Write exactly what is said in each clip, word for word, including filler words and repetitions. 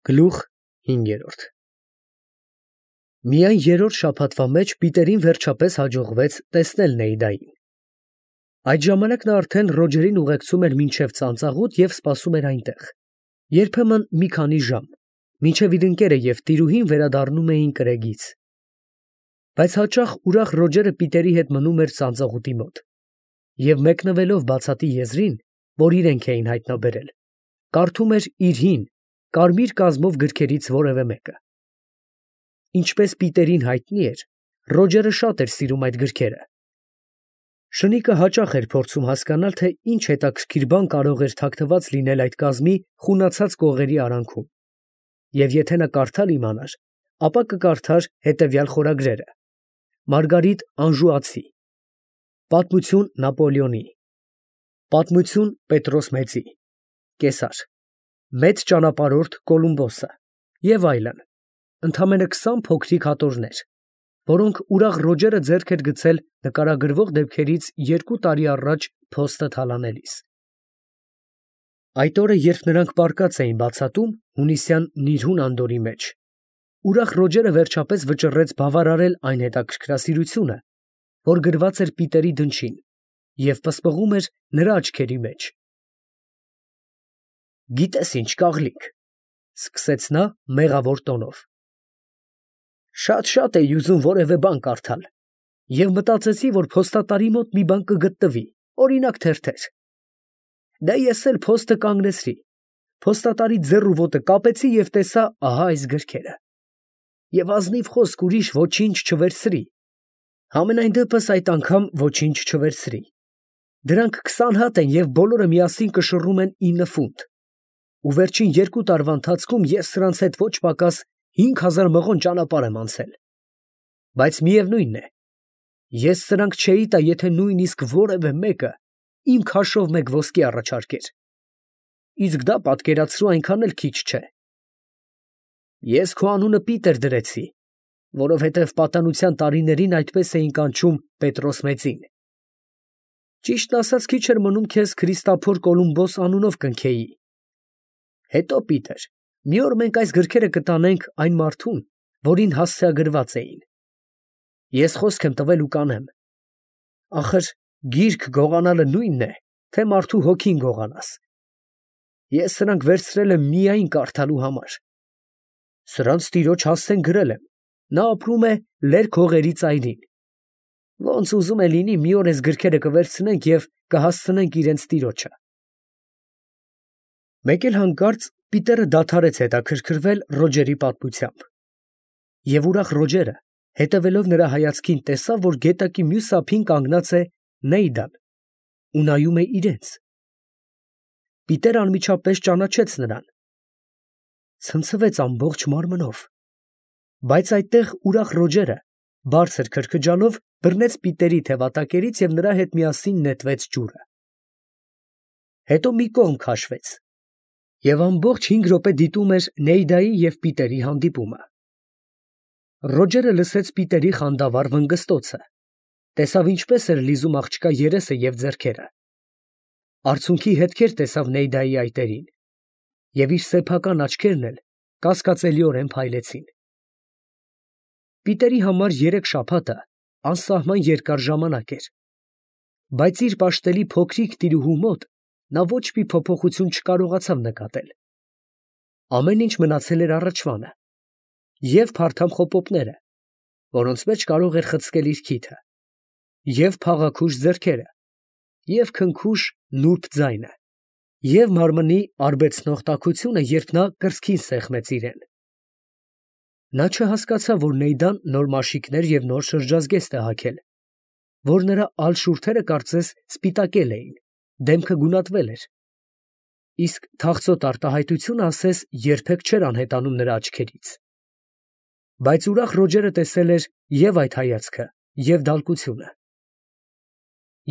Գլուխ հինգերորդ Միայն երրորդ շաբաթվա մեջ Պիտերին վերջապես հաջողվեց տեսնել Նեիդային. այդ ժամանակ նա արդեն Ռոջերին ուղեկցում էր մինչև ծանծաղուտ և սպասում էր այնտեղ, երբեմն մի քանի ժամ, մինչև իր ընկերը և տիրուհին վերադառնում էին կրեգից. բայց հաճախ ուրախ Ռոջերը Պիտերի հետ մնում էր ծանծաղուտի մոտ և մեկնվելով բացատի եզրին, որ իրենք էին հայտնաբերել, կարդում էր իր հին, կարմիր կազմով գրքերից որևէ մեկը։ Ինչպես Պիտերին հայտնի էր, Ռոջերը շատ էր սիրում այդ գրքերը։ Շնիկը հաճախ էր փորձում հասկանալ, թե ինչ հետաքրքիր բան կարող էր թաքնված լինել այդ կազմի խունացած կողերի արանքում, և եթե նա կարդալ իմանար, ապա կկարդար հետևյալ խորագրերը. Մարգարիտ Անժուացի, Պատմություն Նապոլեոնի, Պատմություն Պետրոս Մեծի, Կեսար, Մեծ ճանապարհորդ Կոլումբոսը և այլն, ընդամենը քսան փոքրիկ հատորներ, որոնք ուրախ Ռոջերը ձեռք էր գցել նկարագրվող դեպքերից երկու տարի առաջ փոստը թալանելիս։ Այդ օրը, երբ նրանք պառկած էին բացատում հունիսյան նիրհուն անդորրի մեջ, ուրախ Ռոջերը վերջապես վճռեց բավարարել այն հետաքրքրասիրությունը, որ գրված էր Պիտերի դնչին և պսպղում էր նրա աչքերի մեջ։ «Գիտես ինչ, կաղլիկ, ֊ սկսեց նա մեղավոր տոնով, ֊ շատ֊շատ էի ուզում որևէ բան կարդալ և մտածեցի, որ փոստատարի մոտ մի բան կգտնվի, օրինակ թերթեր. դե ես էլ փոստը կանգնեցրի, փոստատարի ձեռ ու ոտը կապեցի և տեսա ահա այս գրքերը, և ազնիվ խոսք ուրիշ ոչինչ չվերցրի, համենայն դեպս այդ անգամ ոչինչ չվերցրի, դրանք քսան հատ են և բոլորը միասին կշռում են ինը ֆունտ, ու վերջին երկու տարվա ընթացքում ես սրանց հետ ոչ պակաս հինգ հազար մղոն ճանապարհ եմ անցել, բայց միևնույն է, ես սրանք չէի տա, եթե նույնիսկ որևէ մեկը իմ քաշով մեկ ոսկի առաջարկեր, իսկ դա, պատկերացրու, այնքան էլ քիչ չէ։ Ես քո անունը Պիտեր դրեցի, որովհետև պատանության տարիներին այդպես էին կանչում Պետրոս Մեծին։ Ճիշտն ասած, քիչ էր մնում քեզ Քրիստափոր Կոլումբոս անունով կնքեի։ Հետո, Պիտեր, մի օր մենք այս գրքերը կտանենք այն մարդուն, որին հասցեագրված էին։ Ես խոսք եմ տվել ու կանեմ։ Ախր գիրք գողանալը նույնն է, թե մարդու հոգին գողանաս։ Ես սրանք վերցրել եմ միայն կարդալու համար։ Սրանց տիրոջ հասցեն գրել եմ, նա ապրում է լերկ հողերի ծայրին։ Ոնց ուզում է լինի, մի օր էս գրքերը կվերցնենք և կհասցնենք իրենց տիրոջը։ Մեկ էլ հանկարծ Պիտերը դադարեց հետաքրքրվել Ռոջերի պատմությամբ, և ուրախ Ռոջերը, հետևելով նրա հայացքին, տեսավ, որ գետակի մյուս ափին կանգնած է Նեիդան ու նայում է իրենց։ Պիտերն անմիջապես ճանաչեց նրան, ցնցվեց ամբողջ մարմնով, բայց այդտեղ ուրախ Ռոջերը, բարձր քրքջալով, բռնեց Պիտերի թևատակերից և նրա հետ միասին նետվեց ջուրը։ Հետո մի կողմ քաշվեց, և ամբողջ հինգ րոպե դիտում էր Նեիդայի և Պիտերի հանդիպումը։ Ռոջերը լսեց Պիտերի խանդավառ վնգստոցը, տեսավ ինչպես էր լիզում աղջկա երեսը և ձեռքերը, արցունքի հետքեր տեսավ Նեիդայի այտերին, և իր սեփական աչքերն էլ կասկածելիորեն փայլեցին։ Պիտերի համար երեք շաբաթը անսահման երկար ժամանակ էր, բայց իր պաշտելի փոքրիկ տիրուհու մոտ նա ոչ մի փոփոխություն չկարողացավ նկատել։ Ամեն ինչ մնացել էր առաջվանը, և փարթամ խոպոպները, որոնց մեջ կարող էր խցկել իր քիթը, և փաղաքուշ ձեռքերը, և քնքուշ նուրբ ձայնը, և մարմնի արբեցնող տաքությունը, երբ նա կրծքին սեղմեց իրեն։ Նա չհասկացավ, որ Նեիդան նոր մաշիկներ և նոր շրջազգեստ է հագել, որ նրա ալ շուրթերը կարծես սպիտակել էին, դեմքը գունատվել էր, իսկ թախծոտ արտահայտությունը ասես երբեք չէր անհետանում նրա աչքերից։ Բայց ուրախ Ռոջերը տեսել էր և այդ հայացքը, և դալկությունը։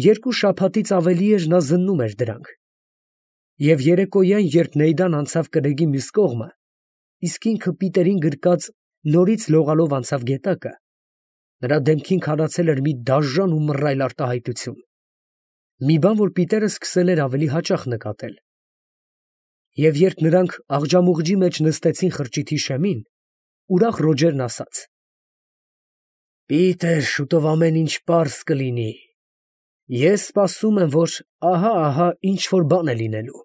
Երկու շաբաթից ավելի էր նա զննում էր դրանք, և երեկոյան, երբ Նեիդան անցավ կրեգի մյուս կողմը, իսկ ինքը Պիտերին գրկած նորից լողալով անցավ գետակը, նրա դեմքին քարացել էր մի դաժան ու մռայլ արտահայտություն, մի բան, որ Պիտերը սկսել էր ավելի հաճախ նկատել։ Եվ երբ նրանք աղջամուղջի մեջ նստեցին խրճիթի շեմին, ուրախ Ռոջերն ասաց. «Պիտեր, շուտով ամեն ինչ պարզ կլինի. ես սպասում եմ, որ ահա, ահա ինչ որ բան է լինելու.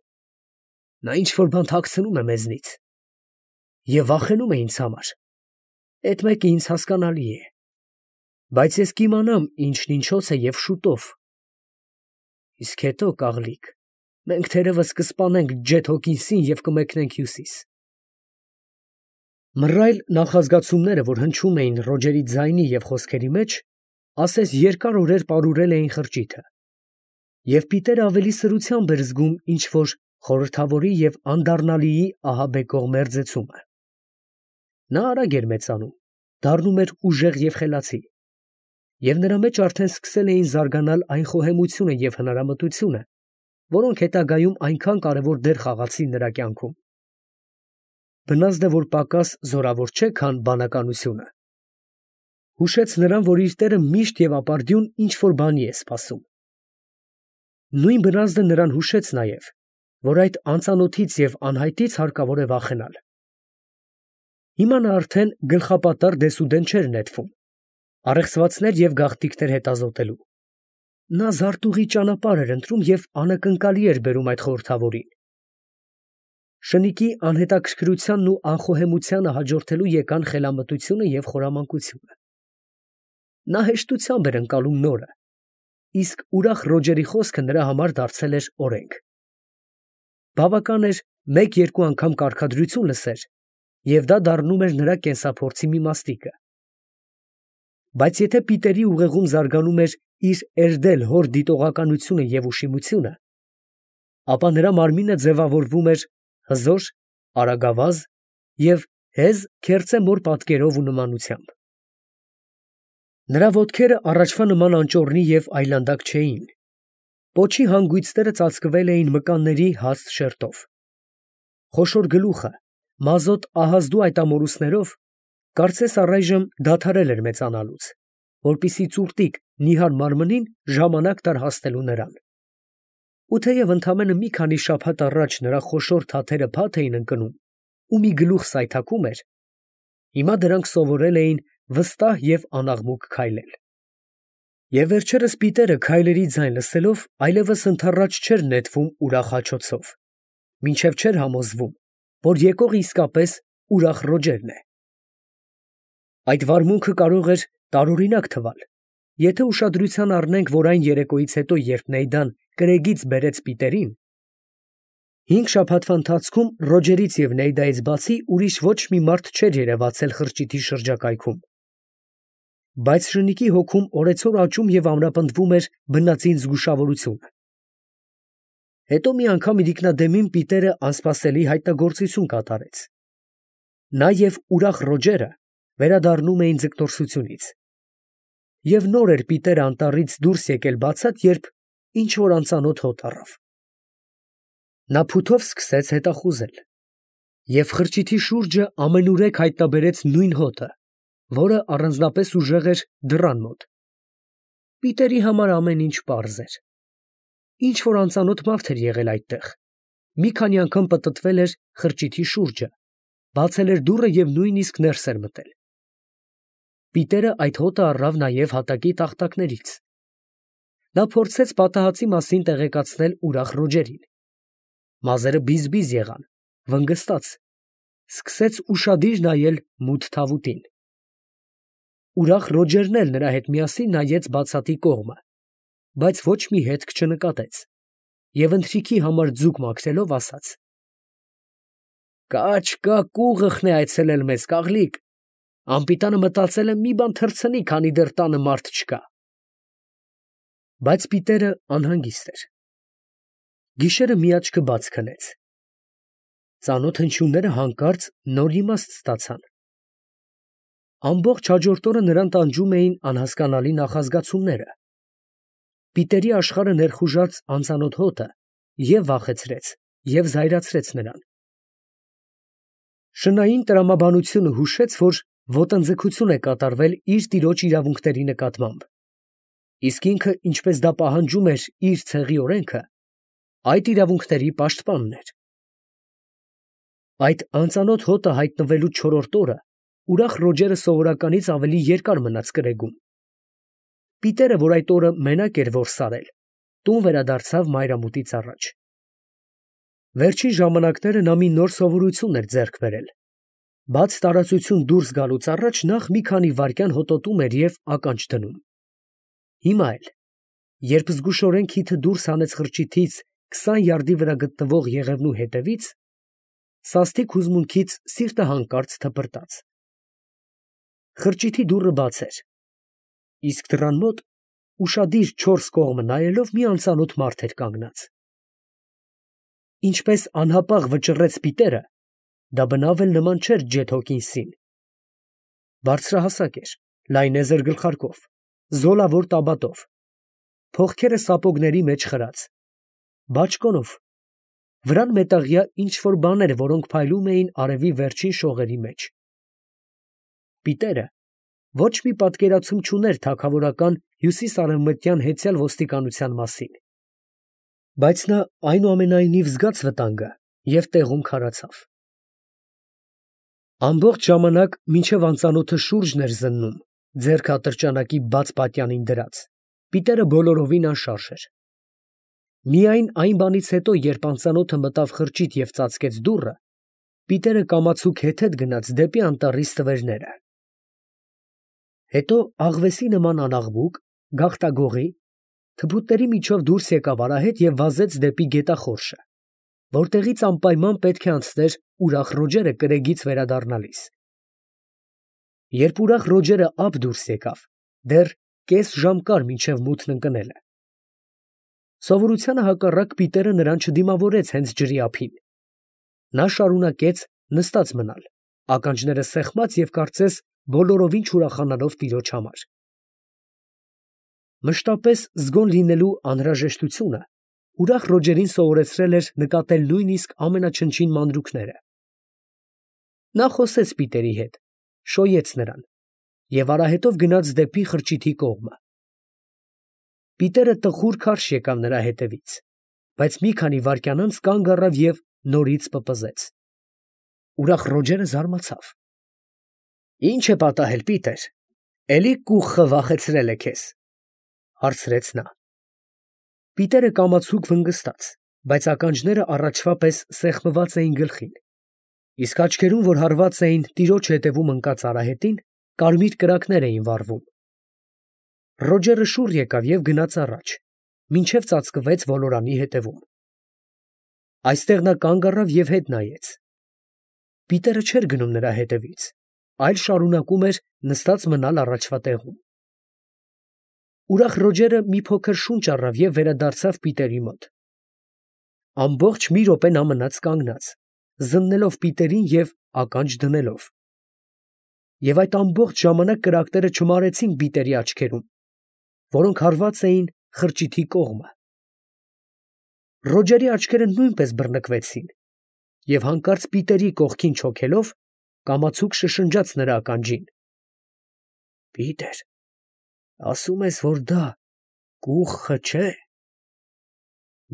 նա ինչ որ բան թաքցնում է մեզնից, և վախենում է ինձ համար, էդ մեկը ինձ հասկանալի է, բայց ես կիմանամ ինչն ինչոց է և շուտով, իսկ հետո, կաղլիկ, մենք թերևս կսպանենք Ջեթ Հոքինսին և կմեկնենք հյուսիս»։ Մռայլ նախազգացումները, որ հնչում էին Ռոջերի ձայնի և խոսքերի մեջ, ասես երկար օրեր պարուրել էին խրճիթը, և Պիտերը ավելի սրությամբ էր զգում ինչ֊որ խորհրդավորի և անդառնալիի ահաբեկող մերձեցումը։ Նա արագ էր մեծանում, դառնում էր ուժեղ և խելացի, և նրա մեջ արդեն սկսել էին զարգանալ այն խոհեմությունը և հնարամտությունը, որոնք հետագայում այնքան կարևոր դեր խաղացին նրա կյանքում։ Բնազդ է, որ պակաս զորավոր չէ, քան բանականությունը, հուշեց նրան, որ իր տերը միշտ և ապարդյուն ինչ֊որ բանի է սպասում։ Նույն բնազդը նրան հուշեց նաև, որ այդ անծանոթից և անհայտից հարկավոր է վախենալ։ Հիմա նա արդեն գլխապատառ դեսուդեն չէր նետվում, առեղծվածներ և գաղտնիքներ հետազոտելու։ Նա զարտուղի ճանապարհ էր ընտրում և անակնկալի էր բերում այդ խորհրդավորին։ Շնիկի անհետաքրքրությանն ու անխոհեմությանը հաջորդելու եկան խելամտությունը և խորամանկությունը։ Նա հեշտությամբ էր ընկալում նորը, իսկ ուրախ Ռոջերի խոսքը նրա համար դարձել էր օրենք։ Բավական էր մեկ֊երկու անգամ կարգադրություն լսեր, և դա դառնում էր նրա կենսափորձի մի մասնիկը։ Բայց եթե Պիտերի ուղեղում զարգանում էր իր էրդել հոր դիտողականությունը և ուշիմությունը, ապա նրա մարմինը ձևավորվում էր հզոր, արագավազ և հեզ քերծե մոր պատկերով ու նմանությամբ։ Նրա ոտքերը առաջվա նման անճոռնի և այլանդակ չէին, պոչի հանգույցները ծածկվել էին մկանների հաստ շերտով։ Խոշոր գլուխը մազոտ ահազդու այդ ամորուսներով կարծես առայժմ դադարել էր մեծանալուց, որպեսզի ծուռտիկ նիհար մարմնին ժամանակ տար հասնելու նրան։ Ու թեև ընդամենը մի քանի շաբաթ առաջ նրա խոշոր թաթերը փաթ էին ընկնում ու մի գլուխ սայթաքում էր, հիմա դրանք սովորել էին վստահ և անաղմուկ քայլել։ Եվ վերջերս Պիտերը քայլերի ձայն լսելով այլևս ընդառաջ չէր նետվում ուրախ հաչոցով, մինչև չէր համոզվում, որ եկողը իսկապես ուրախ Ռոջերն է։ Այդ վարմունքը կարող էր տարօրինակ թվալ, եթե ուշադրության առնենք, որ այն երեկոյից հետո, երբ Նեյդան կրեգից բերեց Պիտերին, հինգ շաբաթվա ընթացքում Ռոջերից և Նեյդայից բացի ուրիշ ոչ մի մարդ չէր երևացել խրճիթի շրջակայքում, բայց շնիկի հոգում օրեցօր աճում և ամրապնդվում էր բնածին զգուշավորությունը։ Հետո մի անգամ իրիկնադեմին Պիտերը անսպասելի հայտնագործություն կատարեց։ Նա և ուրախ Ռոջերը վերադառնում էին ձգտորսությունից։ Եվ նոր էր Պիտերը անտառից դուրս եկել բացատ, երբ ինչ֊որ անծանոթ հոտ առավ։ Նա փութով սկսեց հետախուզել, և խրճիթի շուրջը ամենուրեք հայտնաբերեց նույն հոտը, որը առանձնապես ուժեղ էր դռան մոտ։ Պիտերի համար ամեն ինչ պարզ էր։ Ինչ֊որ անծանոթ մարդ էր եղել այդտեղ, մի քանի անգամ պտտվել էր խրճիթի շուրջը, բացել էր դուռը և նույնիսկ ներս էր մտել։ Պիտերը այդ հոտը առավ նաև հատակի տախտակներից։ Նա փորձեց պատահածի մասին տեղեկացնել ուրախ Ռոջերին։ Մազերը բիզ֊բիզ եղան, վնգստաց, սկսեց ուշադիր նայել մութ թավուտին։ Ուրախ Ռոջերն էլ նրա հետ միասին նայեց բացատի կողմը, բայց ոչ մի հետք չնկատեց, և ընթրիքի համար ձուկ մաքրելով ասաց. «Կաչ կա կուղըխն է այցելել մեզ, կաղլիկ, անպիտանը մտածել է մի բան թռցնի, քանի դեռ տանը մարդ չկա»։ Բայց Պիտերը անհանգիստ էր։ Գիշերը մի աչքը բաց քնեց։ Ծանոթ հնչյունները հանկարծ նոր իմաստ ստացան։ Ամբողջ հաջորդ օրը նրան տանջում էին անհասկանալի նախազգացումները։ Պիտերի աշխարհը ներխուժած անծանոթ հոտը և վախեցրեց, և զայրացրեց նրան։ Շնային տրամաբանությունը հուշեց, որ ոտնձգություն է կատարվել իր տիրոջ իրավունքների նկատմամբ, իսկ ինքը, ինչպես դա պահանջում էր իր ցեղի օրենքը, այդ իրավունքների պաշտպանն էր։ Այդ անծանոթ հոտը հայտնվելու չորրորդ օրը ուրախ Ռոջերը սովորականից ավելի երկար մնաց կրեգում։ Պիտերը, որ այդ օրը մենակ էր որ սարել, տուն վերադարձավ մայրամուտից առաջ։ Վերջին ժամանակները նա մի նոր սովորություն էր ձեռք բերել։ Բաց տարածություն դուրս գալուց առաջ նախ մի քանի վայրկյան հոտոտում էր և ականջ դնում։ Հիմա էլ, երբ զգուշորեն քիթը դուրս հանեց խրճիթից քսան յարդի վրա գտնվող եղևնու հետևից, սաստիկ հուզմունքից սիրտը հանկարծ թպրտաց։ Խրճիթի դուռը բաց էր, իսկ դռան մոտ ուշադիր չորս կողմը նայելով մի անծանոթ մարդ էր կանգնած։ Ինչպես անհապաղ վճռեց Պիտերը, դա բնավ էլ նման չէր Ջեթ Հոքինսին։ Բարձրահասակ էր, լայնեզր գլխարկով, զոլավոր տաբատով, փողքերը սապոգների մեջ խրած, բաճկոնով, վրան մետաղյա ինչ֊որ բաներ, որոնք փայլում էին արևի վերջին շողերի մեջ։ Պիտերը ոչ մի պատկերացում չուներ թագավորական հյուսիսարևմտյան հեծյալ ոստիկանության մասին, բայց նա այնուամենայնիվ զգաց վտանգը և տեղում քարացավ։ Ամբողջ ժամանակ, մինչև անծանոթը շուրջն էր զննում, ձեռքը ատրճանակի բաց պատյանին դրած, Պիտերը բոլորովին անշարժ էր։ Միայն այն բանից հետո, երբ անծանոթը մտավ խրճիթ և ծածկեց դուռը, Պիտերը կամացուկ հետհետ գնաց դեպի անտառի ստվերները։ Հետո աղվեսի նման անաղմուկ, գաղտագողի, թփուտների միջով դուրս եկավ արահետ և վազեց դեպի գետախորշը, որտեղից անպայման պետք է անցներ ուրախ Ռոջերը կրեգից վերադառնալիս։ Երբ ուրախ Ռոջերը ափ դուրս եկավ, դեռ կես ժամ կար մինչև մութն ընկնելը։ Սովորությանը հակառակ Պիտերը նրան չդիմավորեց հենց ջրի ափին։ Նա շարունակեց նստած մնալ, ականջները սեղմած և կարծես բոլորովին չուրախանալով տիրոջ համար։ Մշտապես զգոն լինելու անհրաժեշտությունը ուրախ Ռոջերին սովորեցրել էր նկատել նույնիսկ ամենաչնչին մանրուքները։ Նա խոսեց Պիտերի հետ, շոյեց նրան և արահետով գնաց դեպի խրճիթի կողմը։ Պիտերը տխուր քարշ եկավ նրա հետևից, բայց մի քանի վայրկյան անց կանգ առավ և նորից պպզեց։ Ուրախ Ռոջերը զարմացավ։ ֊ Ի՞նչ է պատահել, Պիտեր, էլի կուխը վախեցրել է քեզ, ֊ հարցրեց նա։ Պիտերը կամացուկ վնգստաց, բայց ականջները առաջվա պես սեղմված էին գլխին, իսկ աչքերում, որ հարված էին տիրոջ ետևում ընկած արահետին, կարմիր կրակներ էին վառվում։ Ռոջերը շուռ եկավ և գնաց առաջ, մինչև ծածկվեց ոլորանի ետևում։ Այստեղ նա կանգ առավ և հետ նայեց։ Պիտերը չէր գնում նրա հետևից, այլ շարունակում էր նստած մնալ առաջվա տեղում։ Ուրախ Ռոջերը մի փոքր շունչ առավ և վերադարձավ Պիտերի մոտ։ Ամբողջ մի րոպե նա մնաց կանգնած, զննելով Պիտերին և ականջ դնելով։ Եվ այդ ամբողջ ժամանակ կրակները չմարեցին Պիտերի աչքերում, որոնք հարված էին խրճիթի կողմը։ Ռոջերի աչքերը նույնպես բռնկվեցին, և հանկարծ Պիտերի կողքին չոքելով, կամացուկ շշնջաց նրա ականջին. ֊ Պիտեր, ասում ես, որ դա կուխը չէ,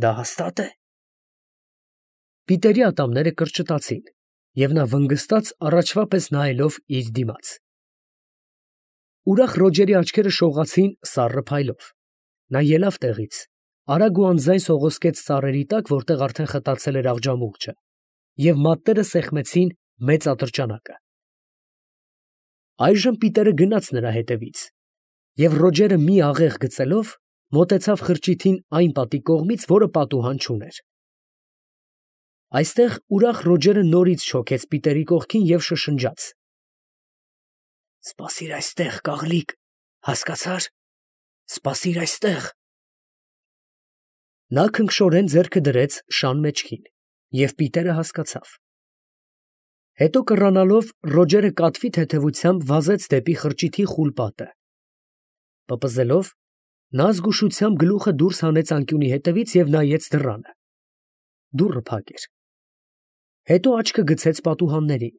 դա հաստա՞տ է։ Պիտերի ատամները կրճտացին, և նա վնգստաց առաջվա պես նայելով իր դիմաց։ Ուրախ Ռոջերի աչքերը շողացին սառը փայլով։ Նա ելավ տեղից, արագ ու անձայն սողոսկեց ծառերի տակ, որտեղ արդեն խտացել էր աղջամուղջը, և մատները սեղմեցին մեծ ատրճանակը։ Այժմ Պիտերը գնաց նրա հետևից, և Ռոջերը մի աղեղ գծելով, մոտեցավ խրճիթին այն պատի կողմից, որը պատուհան չուներ։ Այստեղ ուրախ Ռոջերը նորից չոքեց Պիտերի կողքին և շշնջաց. «Սպասիր այստեղ, կաղլիկ, հասկացա՞ր, սպասիր այստեղ»։ Նա քնքշորեն ձեռքը դրեց շան մեջքին, և Պիտերը հասկացավ։ Հետո կռանալով Ռոջերը կատվի թեթևությամբ վազեց դեպի խրճիթի խուլ պատը։ Պպզելով, նա զգուշությամբ գլուխը դուրս հանեց անկյունի հետևից և նայեց դռանը։ Դուռը փակ էր։ Հետո աչքը գցեց պատուհաններին։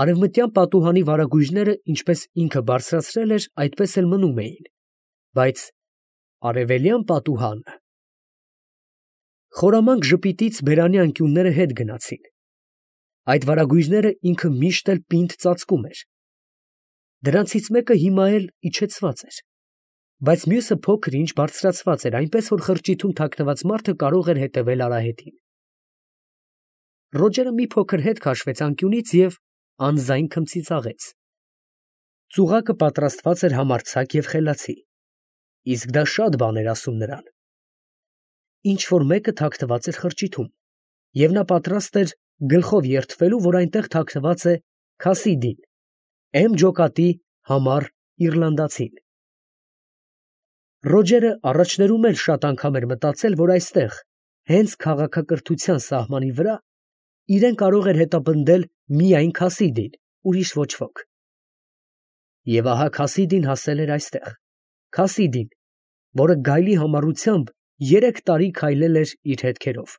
Արևմտյան պատուհանի վարագույրները ինչպես ինքը բարձրացրել էր, այդպես էլ մնում էին, բայց արևելյան պատուհանը… Խորամանկ ժպիտից բերանի անկյունները հետ գնացին, Այդ վարագույրները ինքը միշտ էլ պինդ ծածկում էր։ Դրանցից մեկը հիմա էլ իջեցված էր, բայց մյուսը փոքր ինչ բարձրացված էր, այնպես որ խրճիթում թաքնված մարդը կարող էր հետևել արահետին։ Ռոջերը մի փոքր հետ քաշվեց անկյունից և անձայն քմծիծաղեց։ Ծուղակը պատրաստված էր համարձակ և խելացի, իսկ դա շատ բան էր ասում նրան։ Ինչ որ մեկը թաքնված էր խրճիթում, և նա պատրաստ էր գլխով երդվելու, որ այնտեղ թաքնված է Քասիդին, էմ ջոկատի համառ իռլանդացին։ Ռոջերը առաջներում էլ շատ անգամ էր մտածել, որ այստեղ, հենց քաղաքակրթության սահմանի վրա, իրեն կարող էր հետապնդել միայն Քասիդին, ուրիշ ոչ ոք։ Եվ ահա Քասիդին հասել էր այստեղ, Քասիդին, որը գայլի համառությամբ երեք տարի քայլել էր իր հետքերով,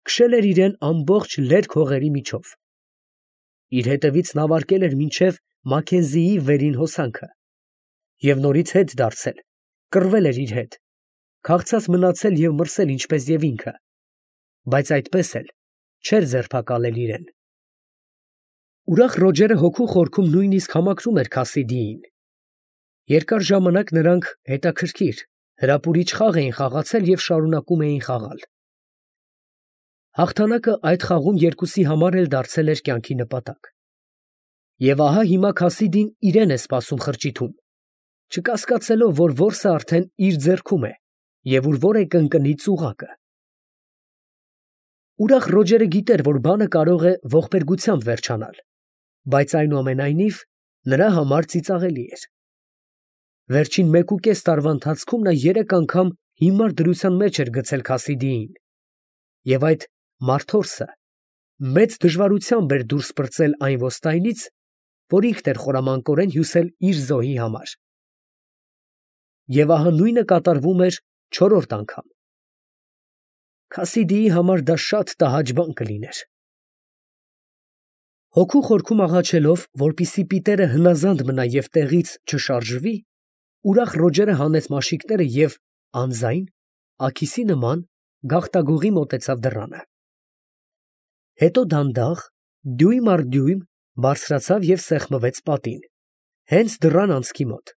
քշել էր իրեն ամբողջ լերկ հողերի միջով, իր հետևից նավարկել էր մինչև Մաքենզիի վերին հոսանքը և նորից հետ դարձել, կռվել էր իր հետ, քաղցած մնացել և մրսել ինչպես և ինքը, բայց այդպես էլ չէր ձերբակալել իրեն։ Ուրախ Ռոջերը հոգու խորքում նույնիսկ համակրում էր Քասիդիին։ Երկար ժամանակ նրանք հետաքրքիր, հրապուրիչ խաղ էին խաղացել և շարունակում էին խաղալ։ Հաղթանակը այդ խաղում երկուսի համար էլ դարձել էր կյանքի նպատակ։ Եվ ահա հիմա Քասիդին իրեն է սպասում խրճիթում, չկասկածելով, որ որսը արդեն իր ձեռքում է և ուր որ է կընկնի ծուղակը։ Ուրախ Ռոջերը գիտեր, որ բանը կարող է ողբերգությամբ վերջանալ, բայց այնուամենայնիվ նրա համար ծիծաղելի էր։ Վերջին մեկուկես տարվա ընթացքում նա երեք անգամ հիմար դրության մեջ էր գցել Քասիդիին, և այդ մարդորսը մեծ դժվարությամբ էր դուրս պրծել այն ոստայնից, որ ինքն էր խորամանկորեն հյուսել իր զոհի համար։ Եվ ահա նույնը կատարվում էր չորրորդ անգամ։ Քասիդիի համար դա շատ տհաճ բան կլիներ։ Հոգու խորքում աղաչելով, որպեսզի պիտերը հնազանդ մնա և տեղից չշարժվի, ուրախ Ռոջերը հանեց մաշիկները և անձայն, աքիսի նման, գաղտագողի մոտեցավ դռանը։ Հետո դանդաղ, դյույմ առ դյույմ բարձրացավ և սեղմվեց պատին, հենց դռան անցքի մոտ։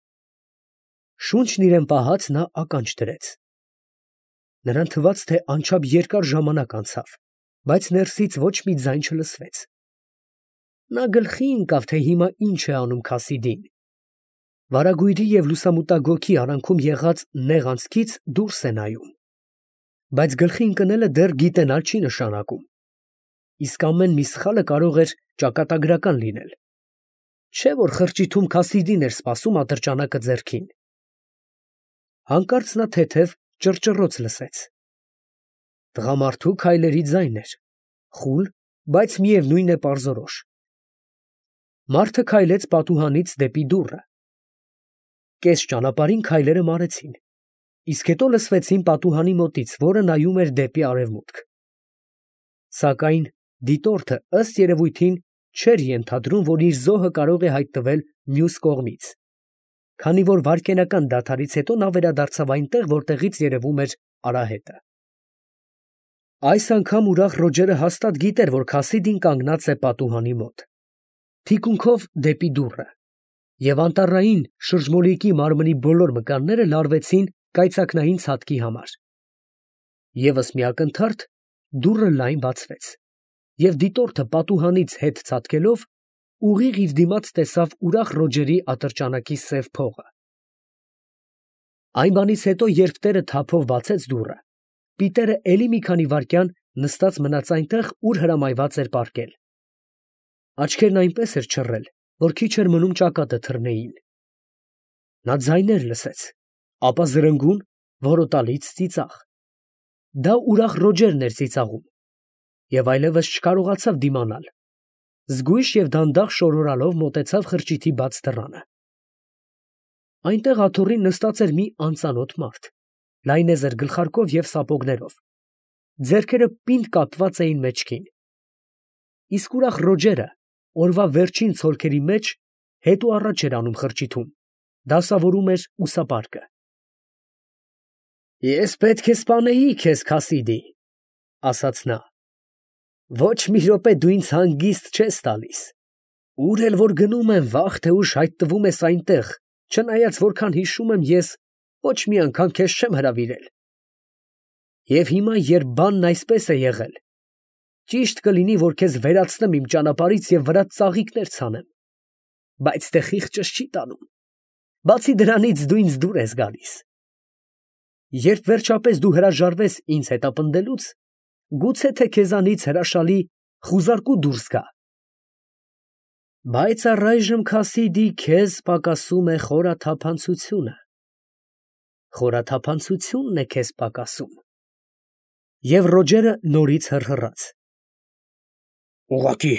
Շունչն իրան պահած, նա ականջ դրեց։ Նրան թվաց, թե անչափ երկար ժամանակ անցավ, բայց ներսից ոչ մի ձայն չլսվեց։ Նա գլխի ընկավ, թե հիմա ինչ է անում Քասիդին։ Վարագույրի և լուսամուտագոգի արանքում եղած նեղ անցքից դուրս է նայում, բայց գլխի ընկնելը դեռ գիտենալ չի նշանակում, իսկ ամեն մի սխալը կարող էր ճակատագրական լինել։ Չէ՞ որ խրճիթում Քասիդին էր սպասում ատրճանակը ձեռքին։ Հանկարծ նա թեթև ճռճռոց լսեց։ Տղամարդու քայլերի ձայն էր, խուլ, բայց միևնույն է պարզորոշ։ Մարդը քայլեց պատուհանից դեպի դուռը։ Կես ճանապարհին քայլերը մարեցին, իսկ հետո լսվեցին պատուհանի մոտից, որը նայում էր դեպի արևմուտք։ Սակայն դիտորդը ըստ երևույթին չէր ենթադրում, որ իր զոհը կարող է հայտնվել մյուս կողմից, քանի որ վայրկենական դադարից հետո նա վերադարձավ այնտեղ, որտեղից երևում էր արահետը։ Այս անգամ ուրախ Ռոջերը հաստատ գիտեր, որ Քասիդին կանգնած է պատուհանի մոտ, թիկունքով դեպի դուռը, և անտառային շրջմոլիկի մարմնի բոլոր մկանները լարվեցին կայծակնային ցատկի համար։ Եվս մի ակնթարթ դուռը լայն բացվեց, և դիտորդը պատուհանից հետ ցատկելով ուղիղ իր դիմաց տեսավ ուրախ Ռոջերի ատրճանակի սև փողը։ Այն բանից հետո, երբ տերը թափով բացեց դուռը, պիտերը էլի մի քանի վայրկյան նստած մնաց այնտեղ, ուր հրամայված էր պառկել։ Աչքերն այնպես էր չռել, որ քիչ էր մնում ճակատը թռնեին։ Նա ձայներ լսեց, ապա զրնգուն, որոտալից ծիծաղ։ Դա ուրախ Ռոջերն էր ծիծաղում, և այլևս չկարողացավ դիմանալ, զգույշ և դանդաղ շորորալով մոտեցավ խրճիթի բաց դռանը։ Այնտեղ աթոռին նստած էր մի անծանոթ մարդ, լայնեզր գլխարկով և սապոգներով, ձեռքերը պինդ կապված էին մեջքին։ Իսկ ուրախ Ռոջերը օրվա վերջին ցոլքերի մեջ հետ ու առաջ էր անում խրճիթում, դասավորում էր ուսապարկը։ «Ես պետք է սպանեի քեզ, Քասիդի, ֊ ասաց նա, Ոչ մի րոպե դու ինձ հանգիստ չես տալիս։ Ուր էլ որ գնում եմ, վաղ թե ուշ հայտնվում ես այնտեղ, չնայած որքան հիշում եմ ես, ոչ մի անգամ քեզ չեմ հրավիրել։ Եվ հիմա, երբ բանն այսպես է եղել, ճիշտ կլինի, որ քեզ վերացնեմ իմ ճանապարհից և վրադ ծաղիկներ ցանեմ, բայց դե խիղճս չի տանում։ Բացի դրանից դու ինձ դուր ես գալիս։ Երբ վերջապես դու հրաժարվես ինձ հետապնդելուց, գուցե թե քեզանից հրաշալի խուզարկու դուրս գա։ Բայց առայժմ, Քասիդի, քեզ պակասում է խորաթափանցությունը։ Խորաթափանցությունն է քեզ պակասում։ Եվ Ռոջերը նորից հռհռաց։ Ուղղակի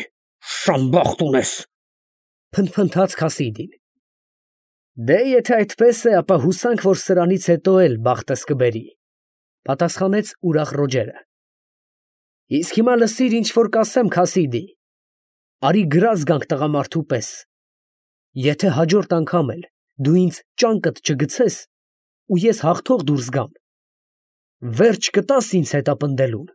շամբախտ ունես, փնթփնթաց Քասիդին։ Դե եթե այդպես է, ապա հուսանք, որ սրանից հետո էլ բախտս կբերի, պատասխանեց ուրախ Ռոջերը։ Իսկ հիմա լսիր, ինչ որ կասեմ, Քասիդի, արի գրազ գանք տղամարդու պես։ Եթե հաջորդ անգամ էլ դու ինձ ճանկդ չգցես, ու ես հաղթող դուրս գամ, վերջ կտաս ինձ հետապնդելուն։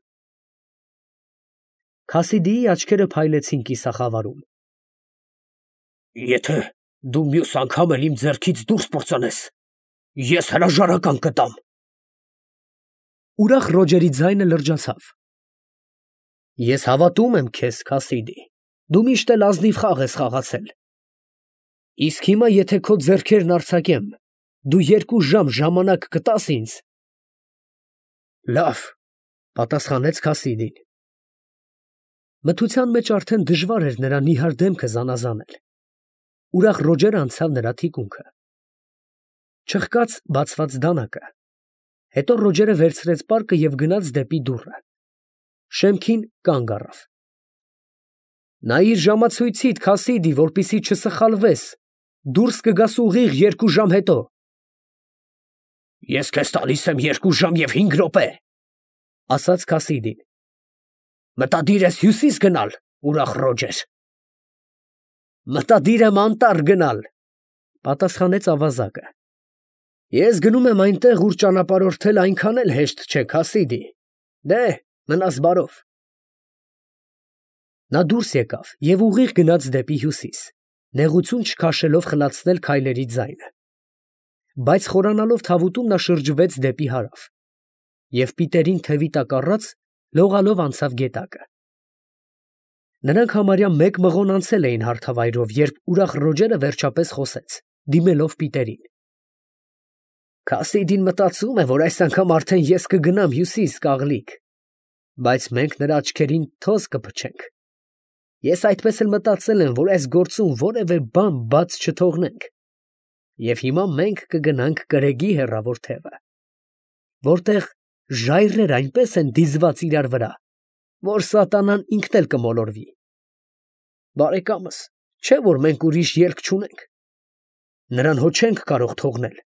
Քասիդիի աչքերը փայլեցին կիսախավարում։ Եթե դու մյուս անգամ էլ իմ ձեռքից դուրս պրծանես, ես հրաժարական կտամ։ Ուրախ Ռոջերի ձայնը լրջացավ։ Ես հավատում եմ քեզ, Քասիդի, դու միշտ էլ ազնիվ խաղ ես խաղացել։ Իսկ հիմա, եթե քո ձեռքերն արձակեմ, դու երկու ժամ ժամանակ կտաս ինձ։ Լավ, պատասխանեց Քասիդին։ Մթության մեջ արդեն դժվար էր նրա նիհար դեմքը զանազանել։ Ուրախ Ռոջերը անցավ նրա թիկունքը։ Չխկաց բացված դանակը։ Հետո Ռոջերը վերցրեց պարկը և գնաց դեպի դուռը։ Շեմքին կանգ առավ։ Նայիր ժամացույցիդ, Քասիդի, որպեսզի չսխալվես, դուրս կգաս ուղիղ երկու ժամ հետո։ Ես քեզ տալիս եմ երկու ժամ և հինգ րոպե, ասաց Քասիդին։ Մտադիր ես հյուսիս գնալ, ուրախ Ռոջեր։ Մտադիր եմ անտառ գնալ, պատասխանեց ավազակը։ Ես գնում եմ այնտեղ, ուր ճանապարհորդել այնքան էլ հեշտ չէ, Քասիդի։ Դե, մնաս բարով։ Նա դուրս եկավ և ուղիղ գնաց դեպի հյուսիս, նեղություն չքաշելով խլացնել քայլերի ձայնը։ Բայց խորանալով թավուտում նա շրջվեց դեպի հարավ և պիտերին թևի տակ առած լողալով անցավ գետակը։ Նրանք համարյա մեկ մղոն անցել էին հարթավայրով, երբ ուրախ Ռոջերը վերջապես խոսեց, դիմելով պիտերին։ Քասիդին մտածում է, որ այս անգամ արդեն ես կգնամ հյուսիս, կաղլիկ, բայց մենք նրա աչքերին թոզ կփչենք։ Ես այդպես էլ մտածել եմ, որ այս գործում որևէ բան բաց չթողնենք։ Եվ հիմա մենք կգնանք կրեգի հեռավոր թևը, որտեղ ժայռեր այնպես են դիզված իրար վրա, որ սատանան ինքն էլ կմոլորվի։ Բարեկամս, չէ՞ որ մենք ուրիշ ելք չունենք։ Նրան հո չենք կարող թողնել,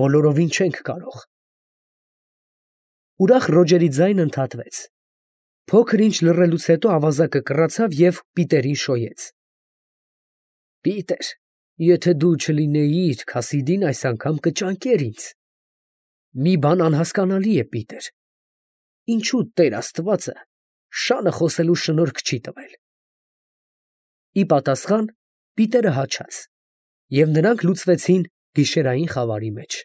բոլորովին չենք կարող։ Ուրախ Ռոջերի ձայնը ընդհատվեց։ Փոքր ինչ լռելուց հետո ավազակը կռացավ և պիտերին շոյեց։ Պիտեր, եթե դու չլինեիր, Քասիդին այս անգամ կճանկեր ինձ։ Մի բան անհասկանալի է, Պիտեր, ինչու Տեր Աստվածը շանը խոսելու շնորհք չի տվել։ Ի պատասխան Պիտերը հաչաց, և նրանք լուծվեցին գիշերային խավարի մեջ։